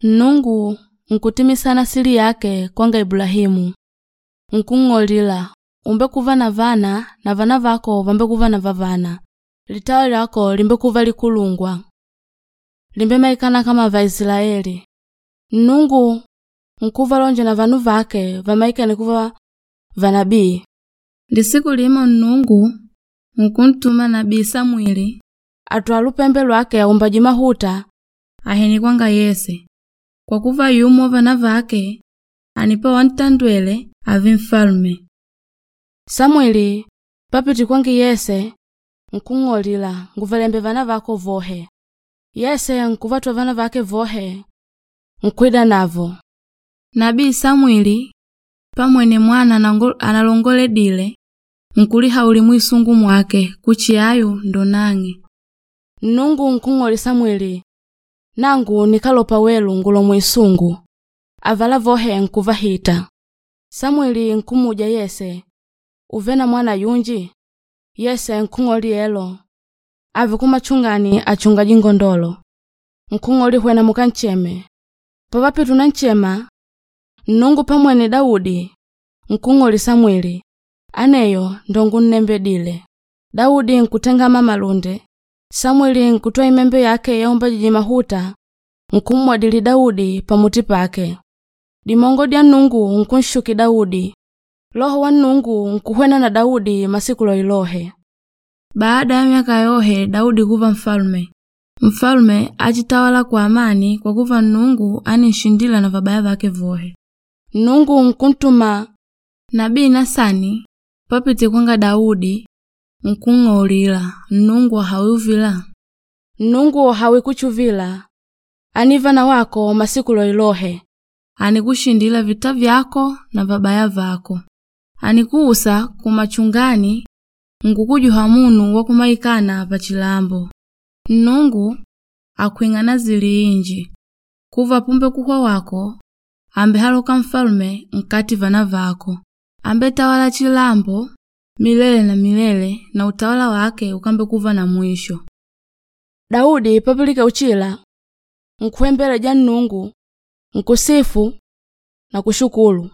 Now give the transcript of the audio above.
Nnungu nkutimisana sili yake kwanga Ibulahimu. Nkung'olila umbekuva na vana na vana vako vambekuva na vavana. Litawa lyako limbekuva likulungwa. Limbemaikana kama Vaisilaeli. Nnungu nkuvalonja na vanu vake vamaikane kuva vanabii. Lisiku limo Nnungu nkuntuma nabii Samwili atwala lupembe lwake aumbaji mahuta ahinikwanga Yese kwa kuva yumo wa vana vake anipa wantandwele ave mfalume. Samwili papiti kwangi Yese nkung'olila nguvalembe vana vako vohe. Yese nkuvatwa vana vake vohe nkwida navo. Nabii Samwili pamwene mwana analongoledile nkulihauli mwisungu mwake kuchi ayu ndo nang'e. Nnungu nkung'oli Samwili nangu nikalopa welu ngulo mwisungu. Avala vohe nkuvahita. Samwili nkumuja Yese uve na mwana yunji? Yese nkung'oli elo ave kumachungani achunga jingondolo. Nkung'oli hwena mukancheme. Pavapitu na nchema Nnungu pamwene Daudi nkung'oli Samwili aneyo ndo ngunnembedile. Daudi nkutengama malunde. Samwili nkutwa imembe yake yaumbajiji mahuta nkummwadili Daudi pamuti pake. Dimongo dya Nnungu nkunshuki Daudi. Loho wa Nnungu nkuhwena na Daudi masiku loilohe. Baada ya myaka yohe Daudi kuva mfalume. Mfalume achitawala kwa amani kwa kuva Nnungu aninshindila na vabaya vake vohe. Nnungu nkuntuma nabii Nasani papite kwanga Daudi nkung'olila Nnungu hawiuvila. Nnungu hawikuchuvila anivana wako masiku loilohe. Anikushindila vita vyako na vabaya vako. Anikuusa kumachungani nkukujuha munu wakumaikana pachilambo. Nnungu akwing'ana zili inji kuva pumbe kuhwa wako ambe haloka mfalume nkati vana vako. Ambe tawala chilambo milele na milele na utawala wake ukambe kuva na mwisho. Daudi papilike uchila nkuembele ja Nnungu nkusifu na kushukulu.